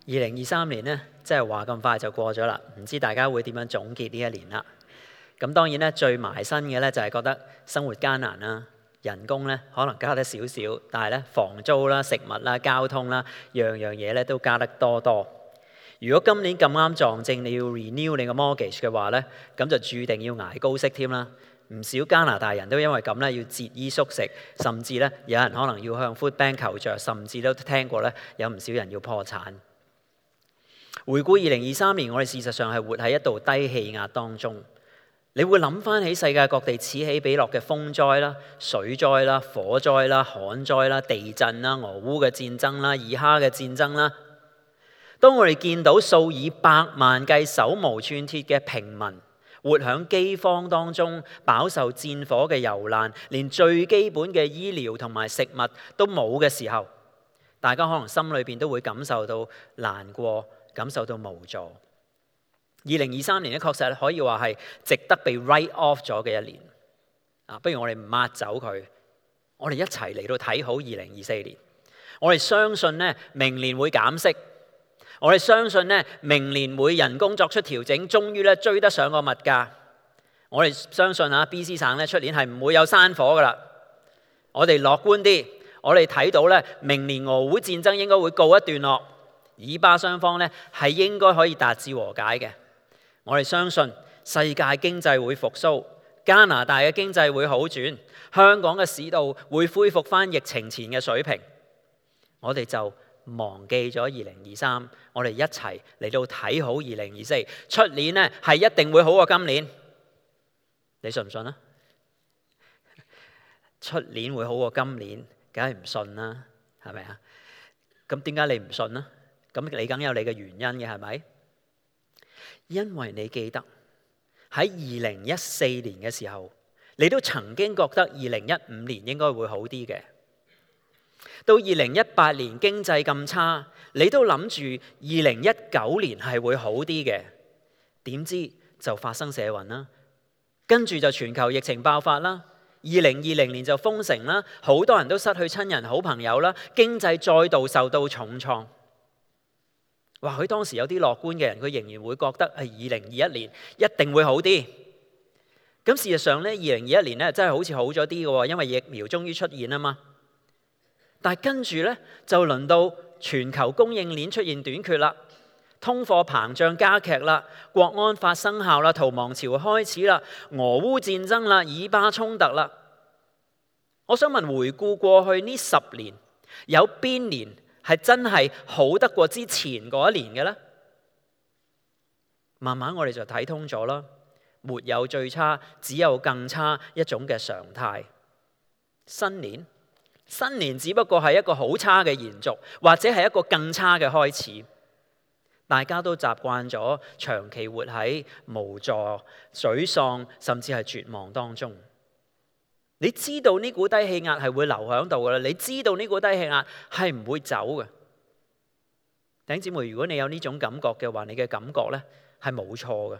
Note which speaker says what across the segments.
Speaker 1: 2023年呢，即係話咁快就過咗啦，唔知大家會點樣總結呢一年啦？咁當然咧，最埋身嘅咧就係覺得生活艱難啦，人工咧可能加得少少，但係咧房租啦、食物啦、交通啦，樣樣嘢咧都加得多多。如果今年咁啱撞正你要 renew 你個 mortgage 嘅話咧，咁就注定要捱高息添啦。唔少加拿大人都因為咁咧要節衣縮食，甚至咧有人可能要向 food bank 求助，甚至都聽過咧有唔少人要破產。回顧2023年，我哋事實上係活喺一道低氣壓當中。你會諗翻起世界各地此起彼落嘅風災啦、水災啦、火災啦、旱災啦、地震啦、俄烏嘅戰爭啦、以哈嘅戰爭啦。當我哋見到數以百萬計手無寸鐵嘅平民活喺饑荒當中，飽受戰火嘅蹂躪，連最基本嘅醫療同埋食物都冇嘅時候，大家可能心裏邊都會感受到難過，感受到無助。2023年咧，確實可以話係值得被 write off 咗嘅一年。不如我哋唔抹走佢，我哋一齊嚟到睇好2024年。我哋相信咧，明年會減息。我哋相信咧，明年會人工作出調整，終於咧追得上個物價。我哋相信BC 省咧出年係唔會有山火噶啦。我哋樂觀啲，我哋睇到咧，明年俄烏戰爭應該會告一段落，以巴雙方咧係應該可以達至和解嘅。我哋相信世界經濟會復甦，加拿大嘅經濟會好轉，香港嘅市道會恢復翻疫情前嘅水平。我哋就忘記咗2023，我哋一齊嚟到睇好2024。出年呢係一定會好過今年，你信唔信啊？出年會好過今年，梗係唔信啦，係咪啊？咁點解你唔信呢？咁你梗有你嘅原因嘅，係咪？因為你記得喺2014年嘅時候，你都曾經覺得2015年應該會好啲嘅。到2018年經濟咁差，你都諗住2019年係會好啲嘅。點知就發生社運啦，跟住就全球疫情爆發啦。2020年就封城啦，好多人都失去親人好朋友啦，經濟再度受到重創。或許當時有啲樂觀嘅人，佢仍然會覺得係2021年一定會好啲。咁事實上咧，2021年咧真係好似好咗啲嘅，因為疫苗終於出現啊嘛。但係跟住咧就輪到全球供應鏈出現短缺啦，通貨膨脹加劇啦，國安法生效啦，逃亡潮開始啦，俄烏戰爭啦，以巴衝突啦。我想問，回顧過去呢10年，有邊年係真係好得過之前嗰一年嘅呢？慢慢我哋就睇通咗啦，沒有最差，只有更差一種嘅常態。新年只不過係一個好差嘅延續，或者係一個更差嘅開始。大家都習慣咗長期活喺無助、沮喪，甚至係絕望當中。你知道呢股低氣壓係會留喺度噶啦，你知道呢股低氣壓係唔會走嘅。弟兄姊妹，如果你有呢種感覺嘅話，你嘅感覺呢係冇錯嘅，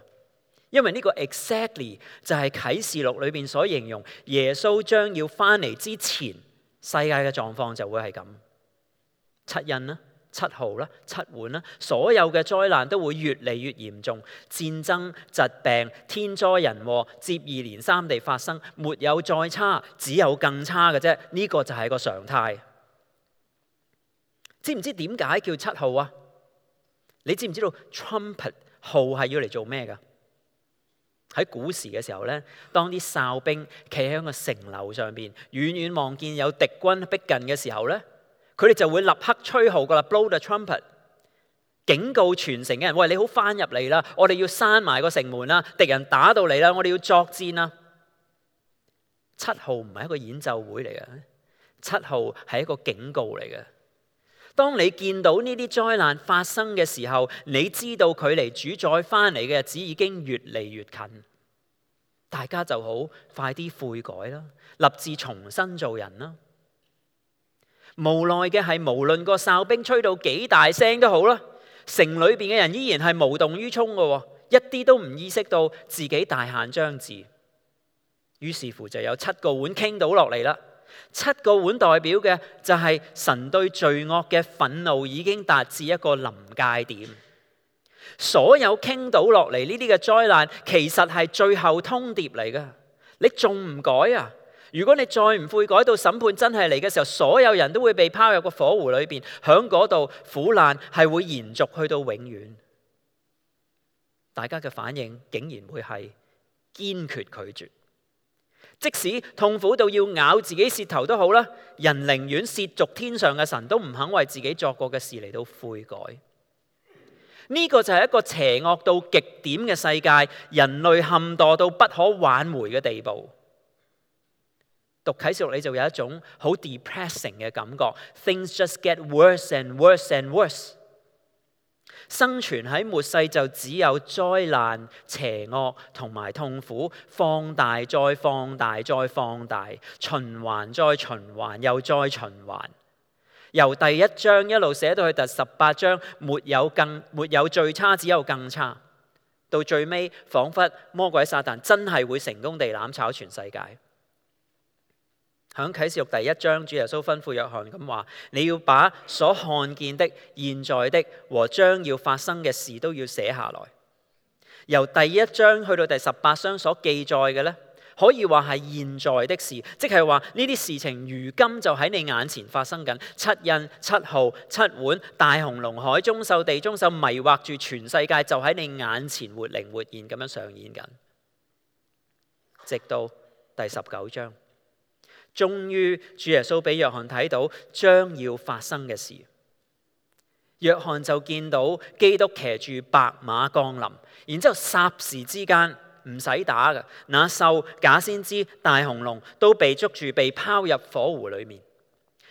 Speaker 1: 因為呢個 exactly 就係啟示錄裏邊所形容耶穌將要翻嚟之前，世界嘅狀況就會係咁。七印啦、七號啦、七碗啦，所有嘅災難都會越嚟越嚴重，戰爭、疾病、天災人禍接二連三地發生，沒有再差，只有更差嘅啫。呢個就係個常態。知唔知點解叫七號啊？你知唔知道 trumpet 號係要嚟做咩噶？喺古時嘅時候咧，當啲哨兵企喺個城樓上邊，遠遠望見有敵軍逼近嘅時候咧，佢哋就會立刻吹號噶啦 ，blow the trumpet， 警告全城嘅人：喂，你好翻入嚟啦，我哋要閂埋個城門啦，敵人打到嚟啦，我哋要作戰啦。七號唔係一個演奏會嚟嘅，七號係一個警告嚟嘅。當你見到呢啲災難發生嘅時候，你知道距離主宰翻嚟嘅日子已經越嚟越近，大家就好快啲悔改啦，立志重新做人啦。無奈嘅係，無論個哨兵吹到幾大聲都好啦，城裏邊嘅人依然係無動於衷嘅，一啲都唔意識到自己大限將至。於是乎就有7個碗傾倒落嚟啦。7個碗代表嘅就係神對罪惡嘅憤怒已經達至一個臨界點。所有傾倒落嚟呢啲嘅災難，其實係最後通牒嚟㗎。你仲唔改啊？如果你再唔悔改，到審判真係嚟嘅時候，所有人都會被拋入個火湖裏邊，響嗰度苦難係會延續去到永遠。大家嘅反應竟然會係堅決拒絕，即使痛苦到要咬自己舌頭都好啦，人寧願褻瀆天上嘅神，都唔肯為自己作過嘅事嚟到悔改。呢個就係一個邪惡到極點嘅世界，人類陷墮到不可挽回嘅地步。讀啟示錄你就有一種好 depressing 嘅感覺 ，things just get worse and worse and worse。生存喺末世就只有災難、邪惡同埋痛苦，放大再放大再放大，循環再循環又再循環。由第1章一路寫到去第18章，沒有最差，只有更差。到最尾，彷彿魔鬼撒旦真係會成功地攬炒全世界。喺啟示錄第1章，主耶穌吩咐約翰咁話：你要把所看見的、現在的和將要發生嘅事都要寫下來。由第1章去到第18章所記載嘅呢，可以話係現在的事，即係話呢啲事情如今就喺你眼前發生緊。7印、7號、7碗、大紅龍、海中獸、地中獸迷惑住全世界，就喺你眼前活靈活現咁樣上演緊。直到第19章。終於，主耶穌俾約翰睇到將要發生嘅事。約翰就見到基督騎住白馬降臨，然之後霎時之間唔使打嘅，那獸、假先知、大紅龍都被捉住，被拋入火湖裏面。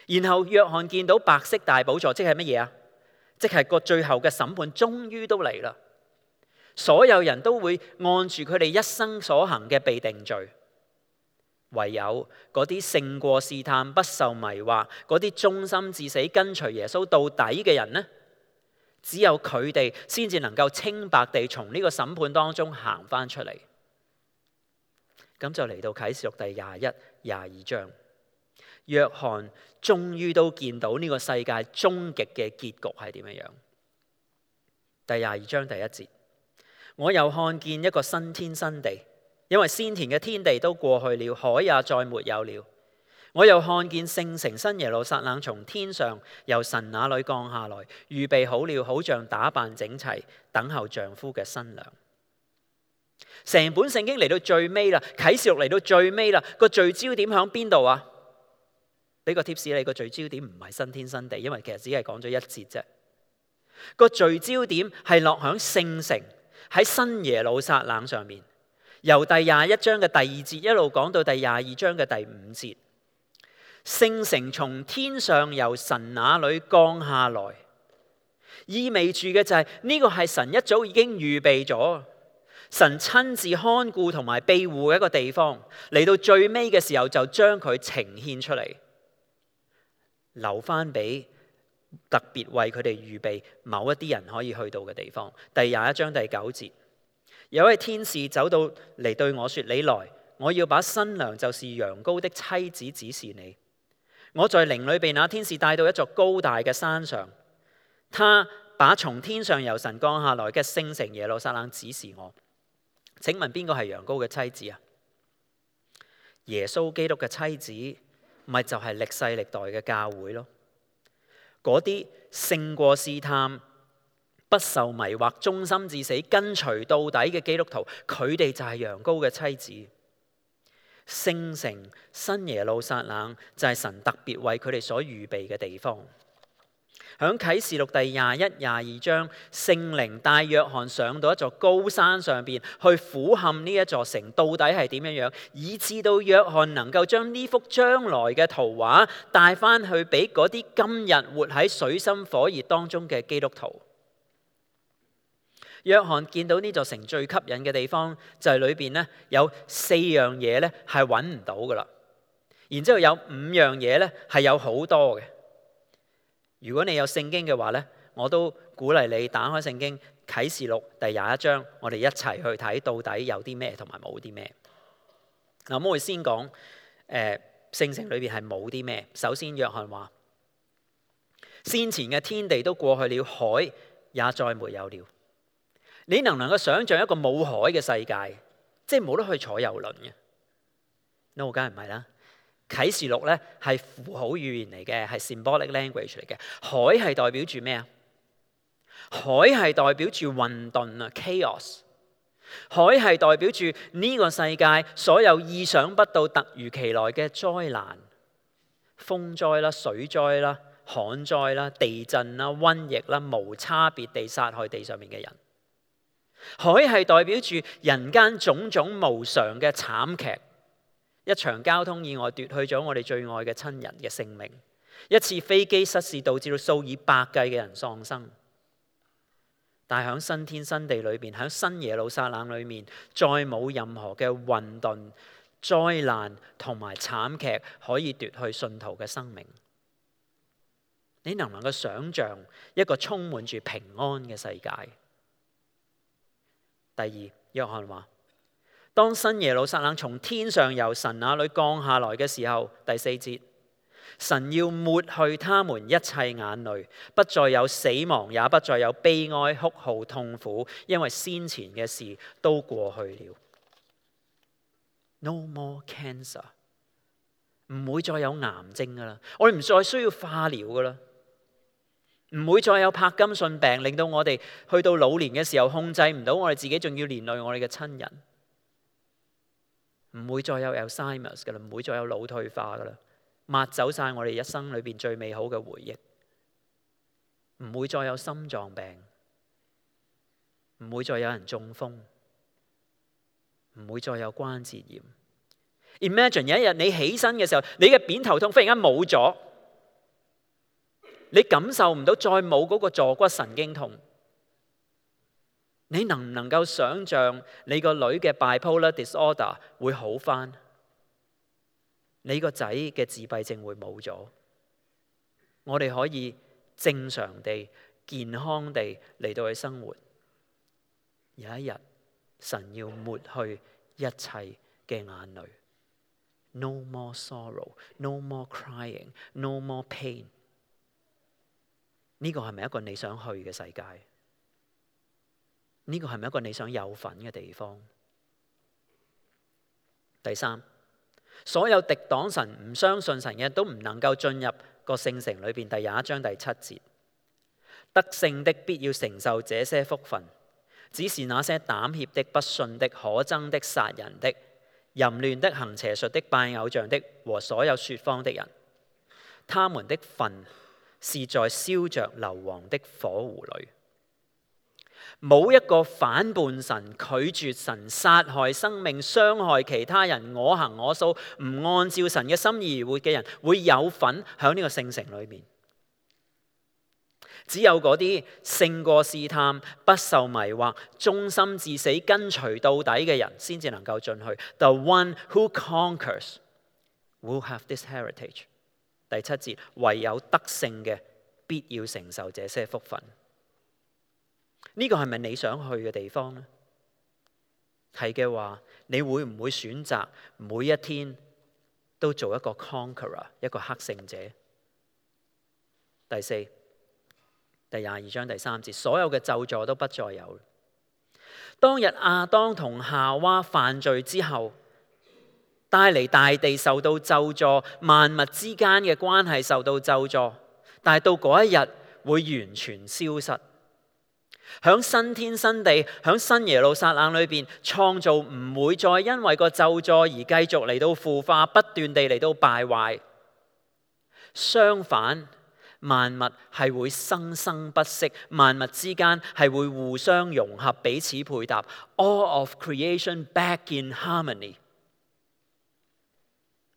Speaker 1: 然後約翰見到白色大寶座，即係乜嘢啊？即係個最後嘅審判，終於都嚟啦。所有人都會按住佢哋一生所行嘅被定罪。唯有嗰啲勝過試探、不受迷惑、嗰啲忠心至死跟隨耶穌到底嘅人呢，只有佢哋先至能夠清白地從呢個審判當中行翻出嚟。咁就嚟到啟示錄第21、22章，約翰終於都見到呢個世界終極嘅結局係點樣。第22章第1節，我又看見一個新天新地。因為先前嘅天地都過去了，海也再沒有了。我又看見聖城新耶路撒冷從天上由神那裏降下來，預備好了，好像打扮整齊，等候丈夫嘅新娘。成本聖經嚟到最尾啦，啟示錄嚟到最尾啦，個聚焦點喺邊度啊？俾個貼士你，個聚焦點唔係新天新地，因為其實只係講咗一節啫。個聚焦點係落響聖城喺新耶路撒冷上面。由第21章嘅第2節一路講到第22章嘅第5節，聖城從天上由神那裏降下來，意味住嘅就係呢個係神一早已經預備咗，神親自看顧同埋庇護嘅一個地方，嚟到最尾嘅時候就將佢呈現出嚟，留翻俾特別為佢哋預備某一啲人可以去到嘅地方。第21章第9節。有位天使走到嚟對我說：你來，我要把新娘就是羊羔的妻子指示你。我在靈裏被那天使帶到一座高大嘅山上，他把從天上由神降下來嘅聖城耶路撒冷指示我。請問邊個係羊羔嘅妻子啊？耶穌基督嘅妻子，咪就係歷世歷代嘅教會咯。嗰啲勝過試探、不受迷惑、忠心至死、跟隨到底嘅基督徒，佢哋就係羊羔嘅妻子。聖城新耶路撒冷就係神特別為佢哋所預備嘅地方。響啟示錄第21、22章，聖靈帶約翰上到一座高山上邊去俯瞰呢一座城到底係點樣樣，以致到約翰能夠將呢幅將來嘅圖畫帶翻去俾嗰啲今日活喺水深火熱當中嘅基督徒。約翰見到呢座城最吸引嘅地方就係裏邊咧有4樣嘢咧係揾唔到噶啦，然之後有5樣嘢咧係有好多嘅。如果你有聖經嘅話咧，我都鼓勵你打開聖經啟示錄第21章，我哋一齊去睇到底有啲咩同埋冇啲咩。嗱，我會先講聖城裏邊係冇啲咩。首先，約翰話：先前嘅天地都過去了，海也再沒有了。你能唔能夠想像一個冇海嘅世界，即係冇得去坐遊輪嘅？No，梗係唔係啦。啟示錄咧係符號語言嚟嘅，係 symbolic language 嚟嘅。海係代表住咩啊？海係代表住混沌啊 ，chaos。海係代表住呢個世界所有意想不到、突如其來嘅災難，風災啦、水災啦、旱災啦、地震啦、瘟疫啦，無差別地殺害地上面嘅人。海係代表住人間種種無常嘅慘劇。一場交通意外奪去咗我哋最愛嘅親人嘅性命，一次飛機失事導致到數以百計嘅人喪生。但係喺新天新地裏邊，喺新耶路撒冷裏面，再冇任何嘅混沌、災難同埋慘劇可以奪去信徒嘅生命。你能唔能夠想像一個充滿住平安嘅世界？第二，約翰話：當新耶路撒冷從天上由神那裏降下來嘅時候，第4節，神要抹去他們一切眼淚，不再有死亡，也不再有悲哀、哭號、痛苦，因為先前嘅事都過去了。No more cancer， 唔會再有癌症噶啦，我哋唔再需要化療噶啦，唔會再有柏金遜病，令到我哋去到老年嘅時候控制唔到我哋自己，仲要連累我哋嘅親人。唔會再有 Alzheimer's 噶啦，唔會再有腦退化噶啦，抹走晒我哋一生裏邊最美好嘅回憶。唔會再有心臟病，唔會再有人中風，唔會再有關節炎。Imagine 有一日你起身嘅時候，你嘅扁頭痛忽然間冇咗，你感受唔到再冇嗰個坐骨神經痛。你能唔能夠想像你個女嘅 bipolar disorder 會好返？你個仔嘅自閉症會冇咗？我哋可以正常地、健康地嚟到去生活。有一日，神要抹去一切嘅眼淚。No more sorrow, no more crying, no more pain。呢個係咪一個你想去嘅世界？呢個係咪一個你想有份嘅地方？第三，所有敵擋神、唔相信神嘅人都唔能夠進入個聖城裏邊。第21章第7節，得勝的必要承受這些福分，只是那些膽怯的、不信的、可憎的、殺人的、淫亂的、行邪術的、拜偶像的和所有說謊的人，他們的份是在燒着硫磺的火湖裏。冇一個反叛神、拒絕神、殺害生命、傷害其他人、我行我素、唔按照神嘅心意而活嘅人，會有份喺呢個聖城裏面。只有嗰啲勝過試探、不受迷惑、忠心至死、跟隨到底嘅人，先至能夠進去。The one who conquers will have this heritage。第7節，唯有得勝嘅，必要承受這些福分。呢個係咪你想去嘅地方呢？係嘅話，你會唔會選擇每一天都做一個 conqueror， 一個克勝者？第4，第22章第3節，所有嘅咒詛都不再有。當日亞當同夏娃犯罪之後，帶嚟大地受到咒詛，萬物之間嘅關係受到咒詛，但係到嗰一日會完全消失。響新天新地，響新耶路撒冷裏邊，創造唔會再因為個咒詛而繼續嚟到腐化，不斷地嚟到敗壞。相反，萬物係會生生不息，萬物之間係會互相融合，彼此配搭。All of creation back in harmony。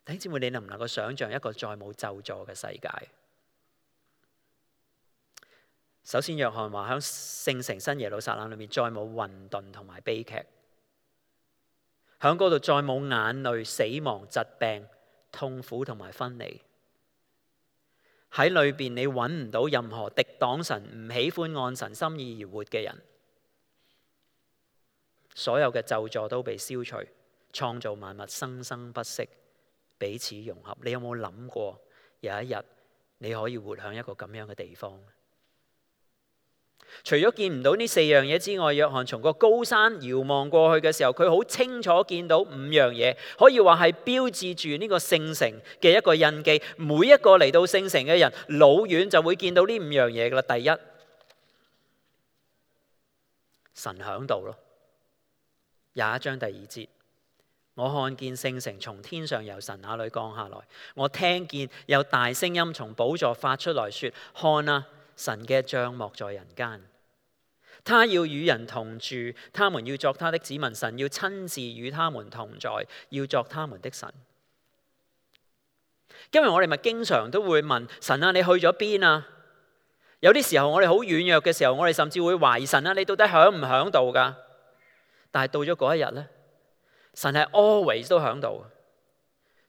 Speaker 1: 弟兄姊妹，你能唔能夠想像一個再冇咒詛嘅世界？首先，約翰話喺聖城新耶路撒冷裏面再冇混沌同埋悲劇，喺嗰度再冇眼淚、死亡、疾病、痛苦同埋分離。喺裏邊你揾唔到任何敵擋神、唔喜歡按神心意而活嘅人。所有嘅咒詛都被消除，創造萬物生生不息，彼此融合。你有冇諗過有一日你可以活喺一個咁樣嘅地方？除咗見唔到呢4樣嘢之外，約翰從個高山遙望過去嘅時候，佢好清楚見到5樣嘢，可以話係標誌住呢個聖城嘅一個印記。每一個嚟到聖城嘅人，老遠就會見到呢5樣嘢噶啦。第一，神響度咯。21章第2節，我看見聖城從天上由神那裏降下來，我聽見有大聲音從寶座發出來說：看啊，神嘅帳幕在人間，他要與人同住，他們要作他的子民，神要親自與他們同在，要作他們的神。今日我哋咪經常都會問神啊，你去咗邊啊？有啲時候我哋好軟弱嘅時候，我哋甚至會懷疑神啊，你到底響唔響度噶？但係到咗嗰一日呢，神係 always 都響度，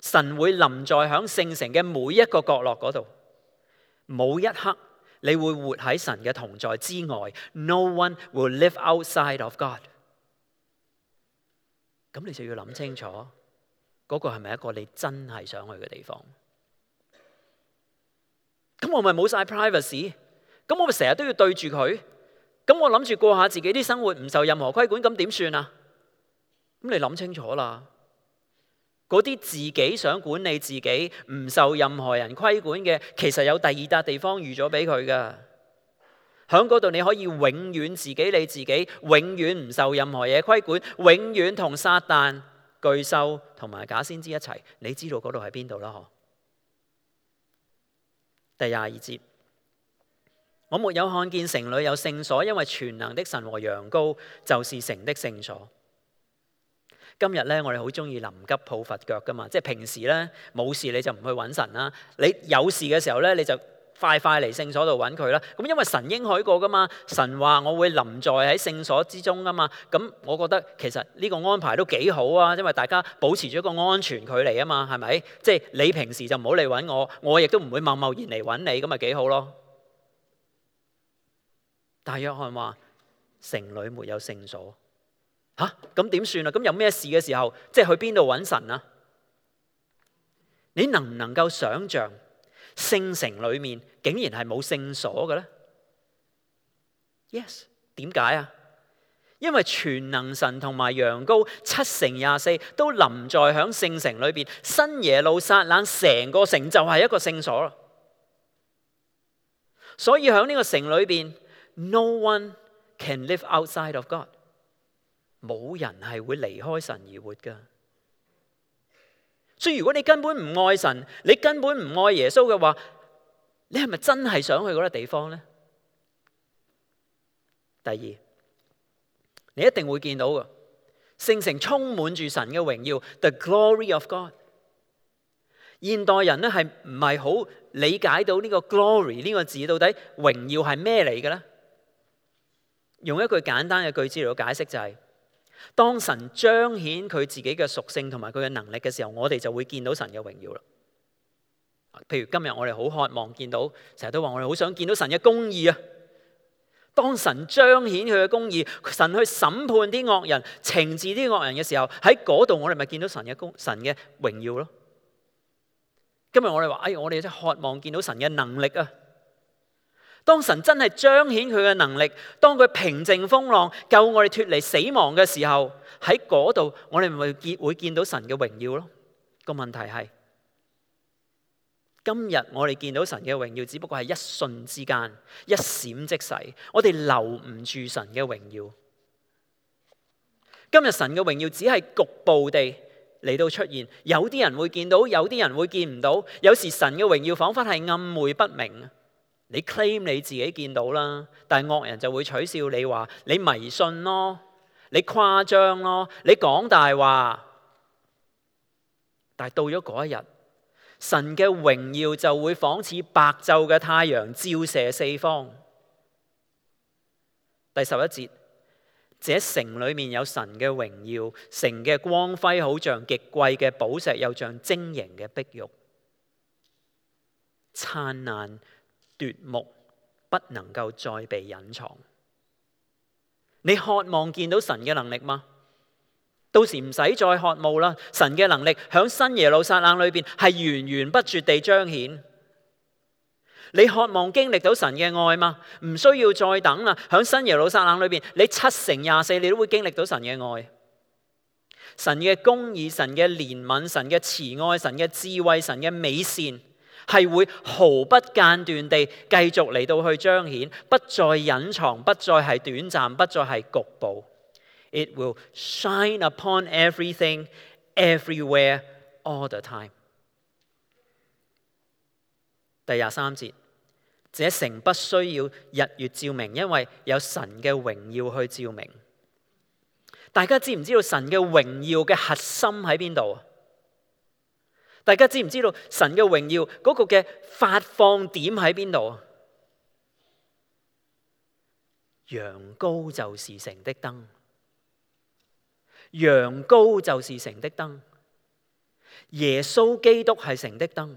Speaker 1: 神會臨在響聖城嘅每一個角落嗰度，冇一刻你會活喺神嘅同在之外。No one will live outside of God。咁你就要諗清楚，嗰個係咪一個你真係想去嘅地方？咁我咪冇晒 privacy， 咁我咪成日都要對住佢，咁我諗住過下自己啲生活，唔受任何規管，咁點算啊？咁你諗清楚啦，嗰啲自己想管理自己，唔受任何人規管嘅，其實有第二笪地方預咗俾佢噶。喺嗰度你可以永遠自己理自己，永遠唔受任何嘢規管，永遠同撒旦、巨獸同埋假先知一齊。你知道嗰度喺邊度啦？嗬。第22節，我沒有看見城裏有聖所，因為全能的神和羊羔就是城的聖所。今日咧，我哋好中意臨急抱佛腳噶嘛，即係平時咧冇事你就唔去揾神啦，你有事嘅時候咧你就快嚟聖所度揾佢啦。咁因為神應許過噶嘛，神話我會臨在喺聖所之中噶嘛。咁我覺得其實呢個安排都幾好啊，因為大家保持咗一個安全距離啊嘛，係咪？即係你平時就唔好嚟揾我，我亦都唔會貿然嚟揾你，咁咪幾好咯。但約翰話城裏沒有聖所。吓，咁點算啊？咁有咩事嘅時候，即係去邊度揾神啊？你能唔能夠想像聖城裏面竟然係冇聖所嘅咧 ？Yes， 點解啊？因為全能神同埋羊羔7×24都臨在響聖城裏邊，新耶路撒冷成個城就係一個聖所啦。所以響呢個城裏邊 ，no one can live outside of God。冇人係會離開神而活噶，所以如果你根本唔愛神，你根本唔愛耶穌嘅話，你係咪真係想去嗰個地方呢？第二，你一定會見到嘅，聖城充滿住神嘅榮耀 ，the glory of God。現代人咧係唔係好理解到呢個 glory 呢個字到底榮耀係咩嚟嘅咧？用一句簡單嘅句子嚟到解釋就係，當神彰顯佢自己嘅屬性同埋佢嘅能力嘅時候，我哋就會見到神嘅榮耀啦。譬如今日我哋好渴望見到，成日都話我哋好想見到神嘅公義啊。當神彰顯佢嘅公義，神去審判啲惡人、懲治啲惡人嘅時候，喺嗰度我哋咪見到神嘅榮耀咯。今日我哋話，我哋真係渴望見到神嘅能力啊。當神真係彰顯佢嘅能力，當佢平靜風浪、救我哋脫離死亡嘅時候，喺嗰度我哋咪會見到神嘅榮耀咯。個問題係，今日我哋見到神嘅榮耀，只不過係一瞬之間、一閃即逝，我哋留唔住神嘅榮耀。今日神嘅榮耀只係局部地嚟到出現，有啲人會見到，有啲人會見唔到。有時神嘅榮耀彷彿係暗昧不明。你 claim 你自己見到啦，但係惡人就會取笑你，話你迷信咯，你誇張咯，你講大話。但係到咗嗰一日，神嘅榮耀就會仿似白晝嘅太陽照射四方。第11節，這城裏面有神嘅榮耀，城嘅光輝好像極貴嘅寶石，又像晶瑩嘅碧玉，燦爛奪目，不能夠再被隱藏。你渴望見到神嘅能力嗎？到時唔使再渴慕啦，神嘅能力響新耶路撒冷裏邊係源源不絕地彰顯。你渴望經歷到神嘅愛嗎？唔需要再等啦，響新耶路撒冷裏邊，你7×24你都會經歷到神嘅愛。神嘅公義、神嘅憐憫、神嘅慈愛、神嘅智慧、神嘅美善，係會毫不間斷地繼續嚟到去彰顯，不再隱藏，不再係短暫，不再係局部。It will shine upon everything, everywhere, all the time。第23節，這城不需要日月照明，因為有神嘅榮耀去照明。大家知唔知道神嘅榮耀嘅核心喺邊度啊？大家知唔知道神嘅榮耀嗰個嘅發放點喺邊度啊？羊羔就是城的燈，羊羔就是城的燈，耶穌基督係城的燈，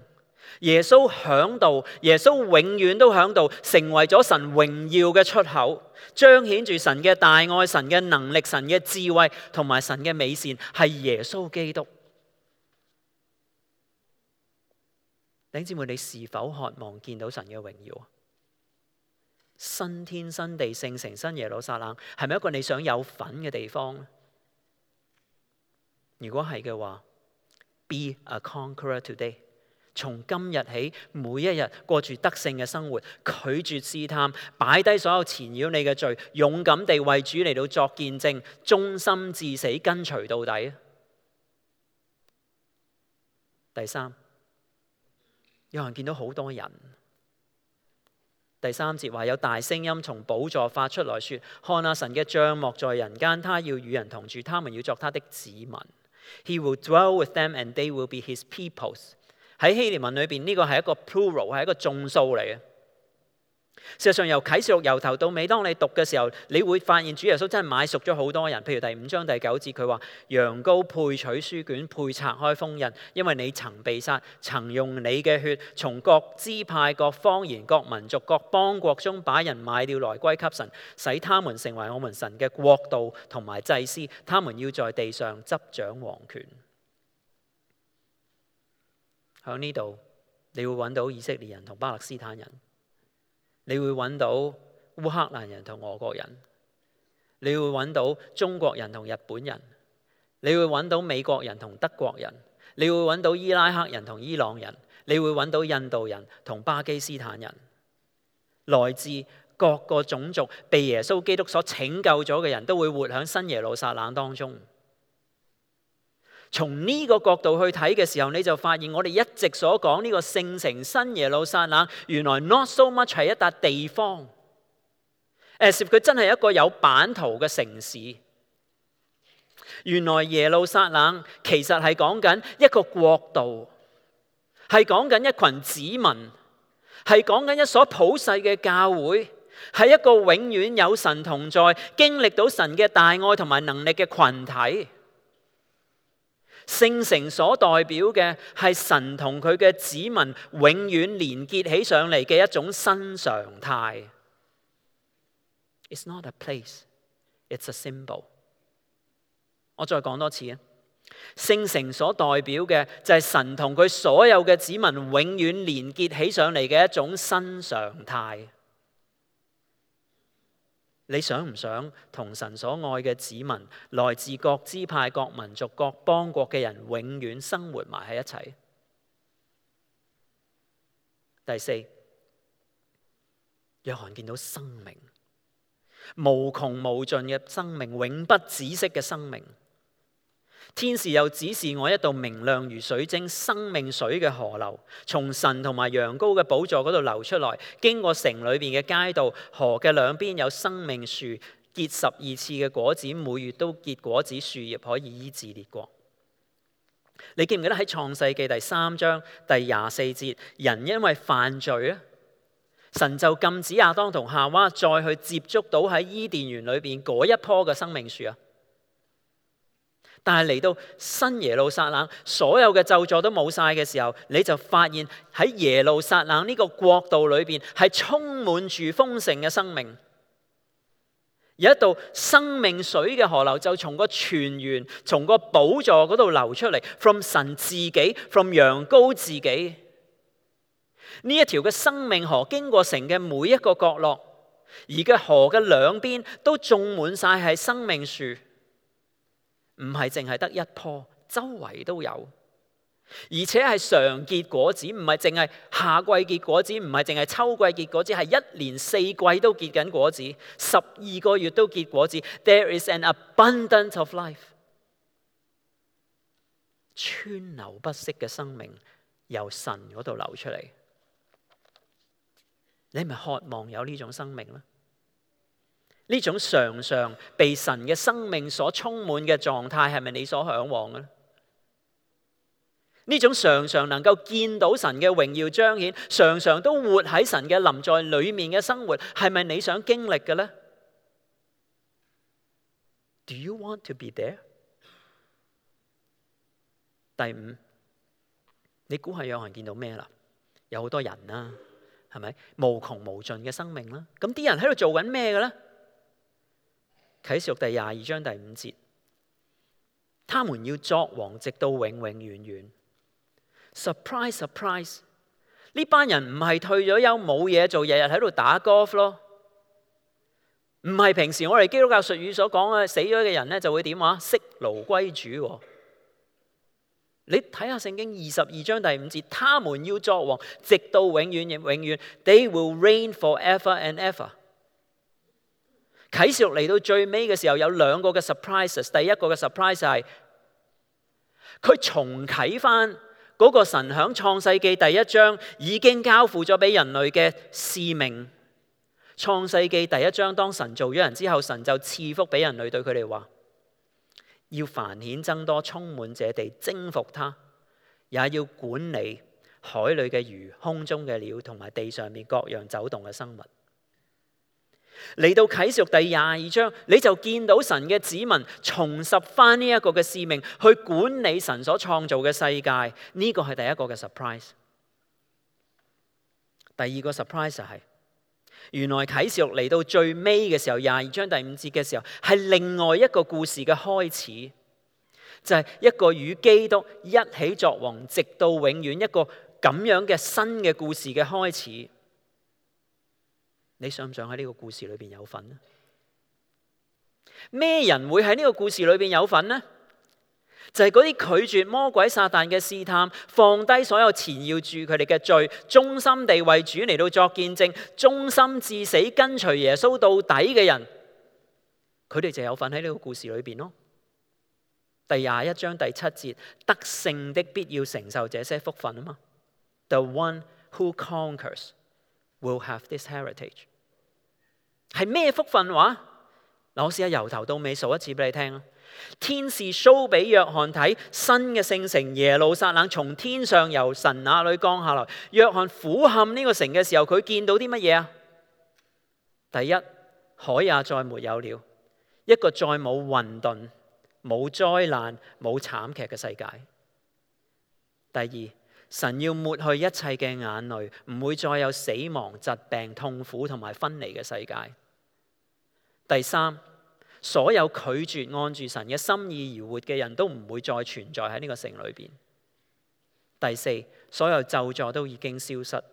Speaker 1: 耶穌響度，耶穌永遠都響度，成為咗神榮耀嘅出口，彰顯住神嘅大愛、神嘅能力、神嘅智慧同埋神嘅美善，係耶穌基督。弟兄姊妹，你是否渴望見到神嘅榮耀啊？新天新地、聖城新耶路撒冷，係咪一個你想有份嘅地方呢？如果係嘅話， Be a conqueror today。從今日起，每一日過住得勝嘅生活，拒絕試探，擺低所有纏繞你嘅罪，勇敢地為主嚟到作見證，忠心至死，跟隨到底。第3，有人見到好多人。第3節話有大聲音從寶座發出來說：看啊，神嘅帳幕在人間，他要與人同住，他們要作他的子民。He will dwell with them and they will be his peoples。喺希臘文裏邊呢個係一個 plural， 係一個眾數嚟嘅。事實上由啟示錄由頭到尾，當你讀嘅時候，你會發現主耶穌真係買贖咗好多人。譬如第5章第9節，佢話羊羔配取書卷，配拆開封印，因為你曾被殺，曾用你嘅血從各支派、各方言、各民族、各邦國中把人買了來歸給神，使他們成為我們神嘅國度同埋祭司，他們要在地上執掌王權。喺呢度，你會揾到以色列人同巴勒斯坦人，你會揾到烏克蘭人同俄國人，你會揾到中國人同日本人，你會揾到美國人同德國人，你會揾到伊拉克人同伊朗人，你會揾到印度人同巴基斯坦人，來自各個種族被耶穌基督所拯救咗嘅人都會活喺新耶路撒冷當中。從呢個角度去睇嘅時候，你就發現我哋一直所講呢個聖城新耶路撒冷，原來 not so much 係一笪地方，as if佢真係一個有版圖嘅城市。原來耶路撒冷其實係講緊一個國度，係講緊一群子民，係講緊一所普世嘅教會，係一個永遠有神同在、經歷到神嘅大愛同埋能力嘅群體。聖城所代表嘅係神同佢嘅子民永遠連結起上嚟嘅一種新常態。It's not a place, it's a symbol。我再講多次啊，聖城所代表嘅就係神同佢所有嘅子民永遠連結起上嚟嘅一種新常態。你想唔想同神所愛嘅子民，來自各支派、各民族、各邦國嘅人，永遠生活埋喺一齊？第4，約翰見到生命，無窮無盡嘅生命，永不止息嘅生命。天使又指示我一道明亮如水晶、生命水嘅河流，從神同埋羊羔嘅寶座嗰度流出來，經過城裏邊嘅街道。河嘅兩邊有生命樹，結12次嘅果子，每月都結果子，樹葉可以醫治列國。你記唔記得喺創世記第3章第24節，人因為犯罪啊，神就禁止亞當同夏娃再去接觸到喺伊甸園裏邊嗰一棵嘅生命樹啊。但係嚟到新耶路撒冷，所有嘅咒詛都冇晒嘅時候，你就發現喺耶路撒冷呢個國度裏邊係充滿住豐盛嘅生命。有一道生命水嘅河流就從個泉源、從個寶座嗰度流出嚟 ，from 神自己 ，from 羊羔自己。呢一條嘅生命河經過城嘅每一個角落，而嘅河嘅兩邊都種滿晒係生命樹，唔係淨係得一棵，周圍都有。而且係常結果子，唔係淨係夏季結果子，唔係淨係秋季結果子，係一年四季都結緊果子，12個月都結果子。There is an abundance of life， 川流不息嘅生命由神嗰度流出嚟。你係咪渴望有呢種生命呢？呢種常常被神嘅生命所充滿嘅狀態，係咪你所向往嘅呢？呢種常常能夠見到神嘅榮耀彰顯，常常都活喺神嘅臨在裏面嘅生活，係咪你想經歷嘅呢？ Do you want to be there？ 第五，你估下有人見到咩啦？有好多人啦，係咪？無窮無盡嘅生命啦。咁啲人喺度做緊咩嘅呢？啟示錄第22章第5節，他們要作王，直到永永遠遠。Surprise, surprise！ 呢班人唔係退咗休冇嘢做，日日喺度打 golf 咯。唔係平時我哋基督教術語所講嘅死咗嘅人咧就會點話？息勞歸主。你睇下聖經22章第5節，他們要作王，直到永遠永遠。They will reign forever and ever。啟示錄嚟到最尾嘅時候有兩個嘅 surprises。第一個嘅 surprise 係佢重啟翻嗰個神響創世記第1章已經交付咗俾人類嘅使命。創世記第1章當神做咗人之後，神就賜福俾人類，對佢哋話要繁衍增多，充滿這地，征服它，也要管理海裏嘅魚、空中嘅鳥同埋地上面各樣走動嘅生物。嚟到啟示錄第22章，你就見到神嘅子民重拾翻呢一個嘅使命，去管理神所創造嘅世界。呢個係第一個嘅 surprise。第二個 surprise 係原來啟示錄嚟到最尾嘅時候，22章第5節嘅時候，係另外一個故事嘅開始，就係一個與基督一起作王，直到永遠，一個咁樣嘅新嘅故事嘅開始。你想唔想喺呢個故事裏邊有份呢？咩人會喺呢個故事裏邊有份呢？就係嗰啲拒絕魔鬼撒旦嘅試探，放低所有纏繞住佢哋嘅罪，忠心地為主嚟到作見證，忠心至死跟隨耶穌到底嘅人，佢哋就有份喺呢個故事裏邊咯。第21章第7節，得勝的必要承受這些福分啊嘛。The one who conquers will have this heritage。 係咩福分話？我試下由頭到尾數一次俾你聽。天使 show 俾約翰睇新嘅聖城耶路撒冷從天上由神那裏降下來。約翰俯瞰呢個城嘅時候，佢見到啲乜嘢啊？第一，海也再沒有了，一個再冇混沌、冇災難、冇慘劇嘅世界。第二，神要抹去一切嘅眼淚，唔會再有死亡、疾病、痛苦同埋分離嘅世界。第三，所有拒絕按住神嘅心意而活嘅人都唔會再存在喺呢個城裏邊。第四，所有咒詛都已經消失。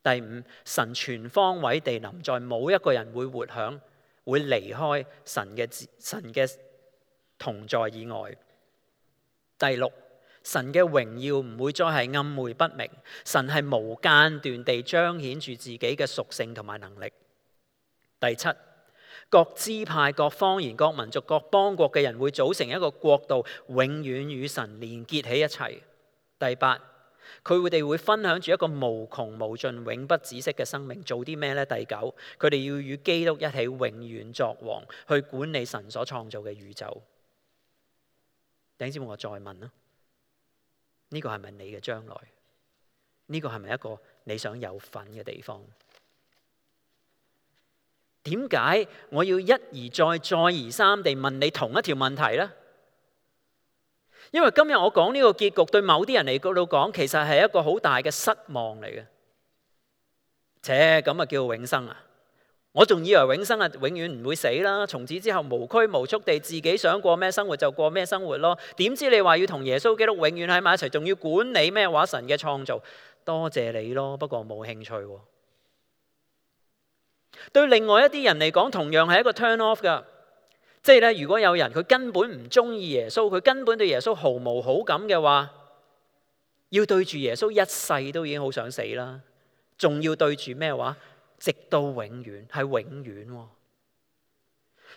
Speaker 1: 第五，神全方位地臨在，冇一個人會活響，會離開神嘅同在以外。第六，神嘅榮耀唔會再係暗昧不明，神係無間斷地彰顯住自己嘅屬性同埋能力。第七，各支派、各方言、各民族、各邦國嘅人會組成一個國度，永遠與神連結起一齊。第八，佢哋會分享住一個無窮無盡、永不止息嘅生命。做啲咩呢？第九，佢哋要與基督一起永遠作王，去管理神所創造嘅宇宙。弟兄姊妹，我再問啦，呢個係咪你嘅將來？呢個係咪一個你想有份嘅地方？點解我要一而再、再而三地問你同一條問題呢？因為今日我講呢個結局，對某啲人嚟講，其實係一個好大嘅失望嚟嘅。咁啊叫永生啊！我仲以為永生係永遠唔會死啦，從此之後無拘無束地自己想過咩生活就過咩生活咯。點知你話要同耶穌基督永遠喺埋一齊，仲要管理咩話神嘅創造？多謝你咯，不過冇興趣喎。對另外一啲人嚟講，同樣係一個 turn off 㗎。即係咧，如果有人佢根本唔中意耶穌，佢根本對耶穌毫無好感嘅話，要對住耶穌一世都已經好想死啦，仲要對住咩話？直到永遠，係永遠喎。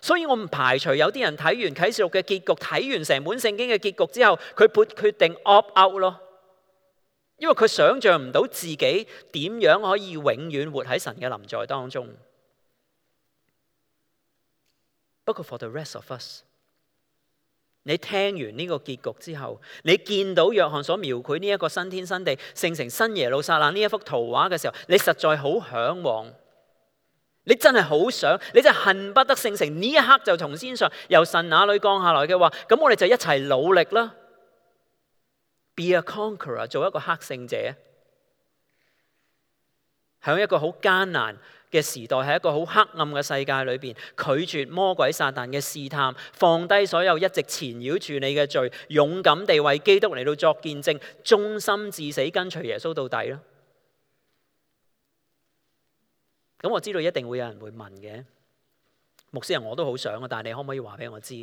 Speaker 1: 所以我唔排除有啲人睇完啟示錄嘅結局，睇完成本聖經嘅結局之後，佢決定 opt out 咯，因為佢想象唔到自己點樣可以永遠活喺神嘅臨在當中。不過 for the rest of us， 你聽完呢個結局之後，你見到約翰所描繪呢一個新天新地、聖城新耶路撒冷呢一幅圖畫嘅時候，你實在好嚮往，你真係好想，你真係恨不得聖城呢一刻就從天上由神那裏降下來嘅話，咁我哋就一齊努力啦 ，be a conqueror， 做一個克勝者，喺一個好艱難嘅時代，喺一個好黑暗嘅世界裏邊，拒絕魔鬼撒旦嘅試探，放低所有一直纏繞住你嘅罪，勇敢地為基督嚟到作見證，忠心至死跟隨耶穌到底咯。咁我知道一定會有人會問嘅，牧師人我都好想啊，但係你可唔可以話俾我知，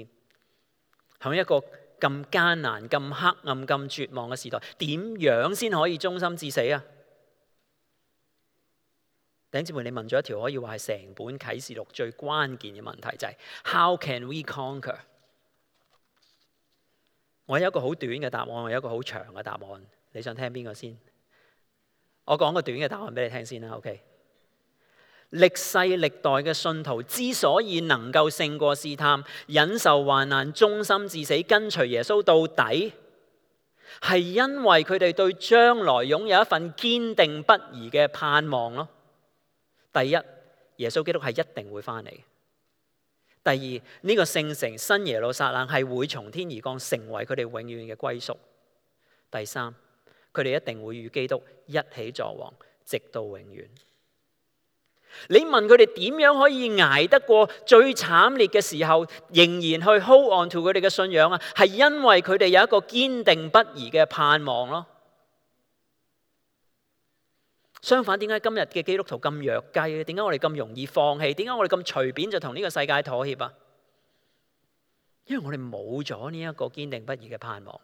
Speaker 1: 喺一個咁艱難、咁黑暗、咁絕望嘅時代，點樣先可以忠心至死啊？弟兄姊妹，你問咗一條可以話係成本啟示錄最關鍵嘅問題，就係 How can we conquer？ 我有一個好短嘅答案，我有一個好長嘅答案。你想聽邊個先？我講個短嘅答案俾你聽先啦。OK， 歷世歷代嘅信徒之所以能夠勝過試探、忍受患難、忠心至死、跟隨耶穌到底，係因為佢哋對將來擁有一份堅定不移嘅盼望咯。第一，耶穌基督係一定會翻嚟。第二，呢個聖城新耶路撒冷係會從天而降，成為佢哋永遠嘅歸宿。第三，佢哋一定會與基督一起作王，直到永遠。你問佢哋點樣可以捱得過最慘烈嘅時候，仍然去 hold on to 佢哋嘅信仰啊？係因為佢哋有一個堅定不移嘅盼望咯。相反，點解今日嘅基督徒咁弱雞咧？點解我哋咁容易放棄？點解我哋咁隨便就同呢個世界妥協啊？因為我哋冇咗呢一個堅定不移嘅盼望。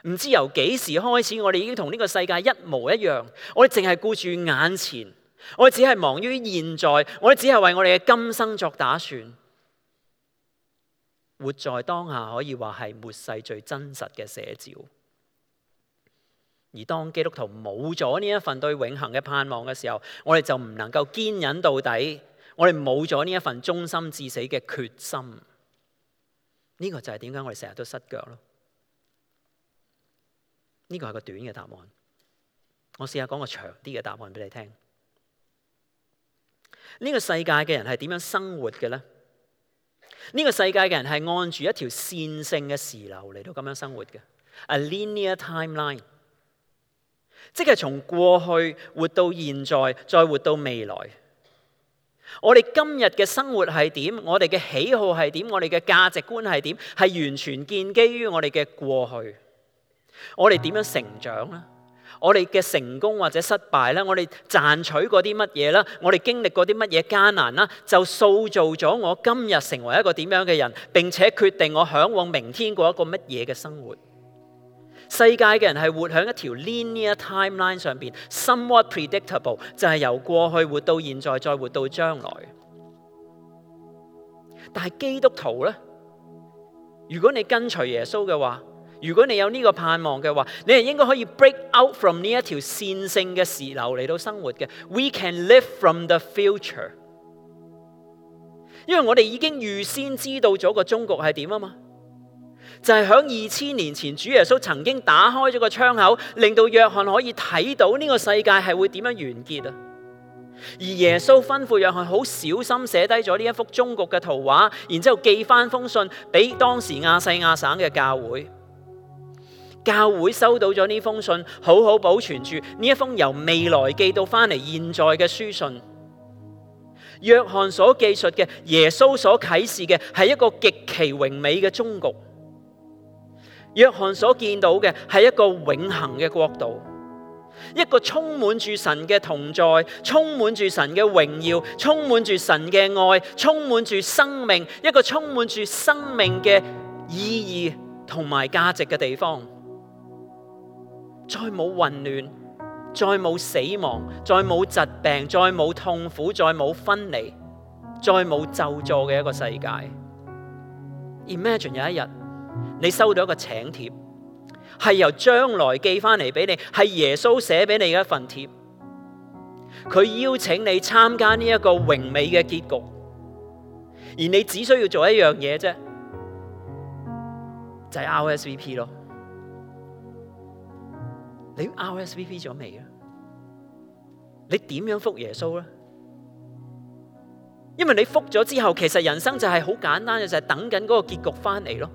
Speaker 1: 唔知由幾時開始，我哋已經同呢個世界一模一樣。我哋淨係顧住眼前，我哋只係忙於現在，我哋只係為我哋嘅今生作打算。活在當下可以話係末世最真實嘅寫照。而當基督徒冇咗呢一份對永恆嘅盼望嘅時候，我哋就唔能夠堅忍到底，我哋冇咗呢一份忠心至死嘅決心。呢個就係點解我哋成日都失腳咯。呢個係個短嘅答案，我試下講個長啲嘅答案俾你聽。呢個世界嘅人係點樣生活嘅呢？呢個世界嘅人係按住一條線性嘅時流嚟到咁樣生活嘅 ，a linear timeline。即係從過去活到現在，再活到未來。我哋今日嘅生活係點？我哋嘅喜好係點？我哋嘅價值觀係點？係完全建基於我哋嘅過去。我哋點樣成長呢？我哋嘅成功或者失敗呢？我哋賺取過啲乜嘢啦？我哋經歷過啲乜嘢艱難啦？就塑造咗我今日成為一個點樣嘅人，並且決定我嚮往明天過一個乜嘢嘅生活。世界嘅人係活喺一條 linear timeline 上邊 ，somewhat predictable， 就係由過去活到現在，再活到將來。但係基督徒呢，如果你跟隨耶穌嘅話，如果你有呢個盼望嘅話，你係應該可以 break out from 呢一條線性嘅時流嚟到生活嘅。We can live from the future， 因為我哋已經預先知道咗個終局係點啊嘛。就係響2000年前，主耶穌曾經打開咗個窗口，令到約翰可以睇到呢個世界係會點樣完結啊！而耶穌吩咐約翰好小心寫低咗呢一幅終局嘅圖畫，然之後寄翻封信俾當時亞細亞省嘅教會。教會收到咗呢封信，好好保存住呢一封由未來寄到翻嚟現在嘅書信。約翰所記述嘅，耶穌所啟示嘅係一個極其榮美嘅終局。約翰所見到嘅係一個永恆嘅國度，一個充滿住神嘅同在，充滿住神嘅榮耀，充滿住神嘅愛，充滿住生命，一個充滿住生命嘅意義同埋價值嘅地方。再冇混亂，再冇死亡，再冇疾病，再冇痛苦，再冇分離，再冇咒詛嘅一個世界。Imagine 有一日你收到一個請帖，係由將來寄翻嚟俾你，係耶穌寫俾你嘅一份帖，佢邀請你參加呢一個榮美嘅結局，而你只需要做一樣嘢啫，就係 RSVP 咯。你 RSVP 咗未啊？你點樣覆耶穌呢？因為你覆咗之後，其實人生就係好簡單嘅，就係等緊嗰個結局翻嚟咯。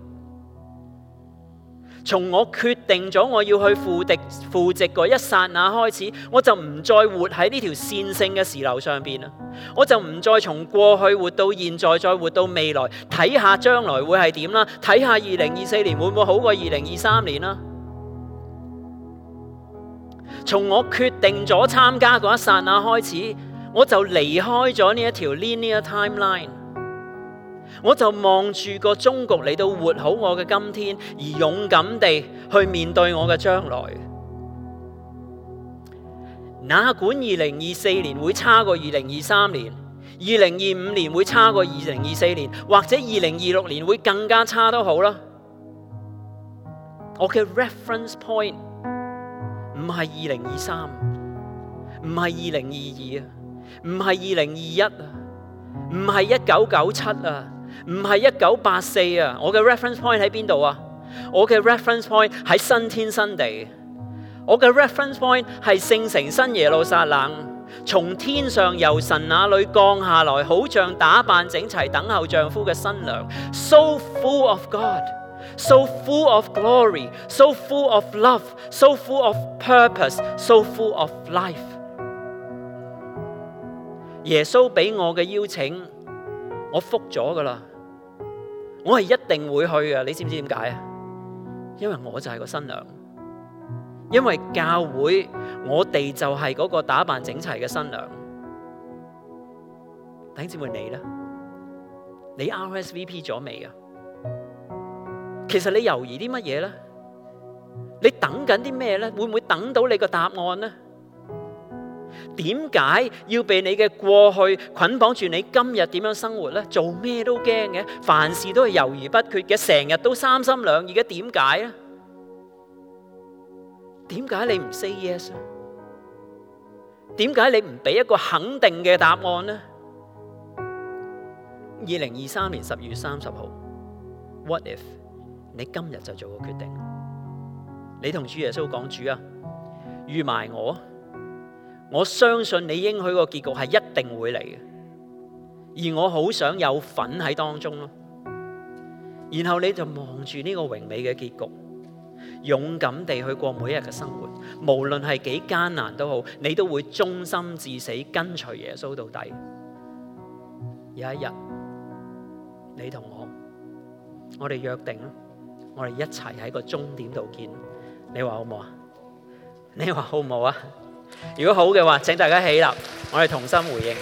Speaker 1: 從我決定咗我要去赴席嗰一剎那開始，我就唔再活喺呢條線性嘅時流上邊啦。我就唔再從過去活到現在，再活到未來，睇下將來會係點啦，睇下2024年會唔會好過2023年啦。從我決定咗參加嗰一剎那開始，我就離開咗呢一條 linear timeline， 我就望住個終局嚟到活好我嘅今天，而勇敢地去面對我嘅將來。哪管2024年會差過2023年，2025年會差過2024年，或者2026年會更加差都好啦。我嘅 reference point唔係2023，唔係2022啊，唔係2021啊，唔係1997啊，唔係1984啊。我嘅 reference point 喺邊度啊？我嘅 reference point 喺新天新地。我嘅 reference point 係聖城新耶路撒冷，從天上由神那裏降下來，好像打扮整齊等候丈夫嘅新娘。So full of God。So full of glory, so full of love, so full of purpose, so full of life。 耶穌俾我嘅邀請，我覆咗噶啦，我係一定會去嘅。你知唔知點解啊？因為我就係個新娘，因為教會我哋就係嗰個打扮整齊嘅新娘。弟兄姊妹，你呢？你 RSVP 咗未啊？其實你猶豫啲乜嘢呢？你等緊啲咩呢？會唔會等到你個答案呢？點解要被你嘅過去捆綁住你今日點樣生活呢？做咩都驚嘅，凡事都係猶豫不決嘅，成日都三心兩意嘅，點解呢？點解你唔 say yes 呢？點解你唔俾一個肯定嘅答案呢？2023年12月30號 What if 你今日就做個決定？你同主耶穌講：主啊，預埋我相信你應許個結局係一定會嚟嘅，而我好想有份喺當中咯。然後你就望住呢個榮美嘅結局，勇敢地去過每一日嘅生活，無論係幾艱難都好，你都會忠心至死，跟隨耶穌到底。有一日，你同我哋約定啦，我哋一齊喺個終點度見。你話好唔好啊？你話好唔好啊？如果好嘅話，請大家起立，我哋同心回應。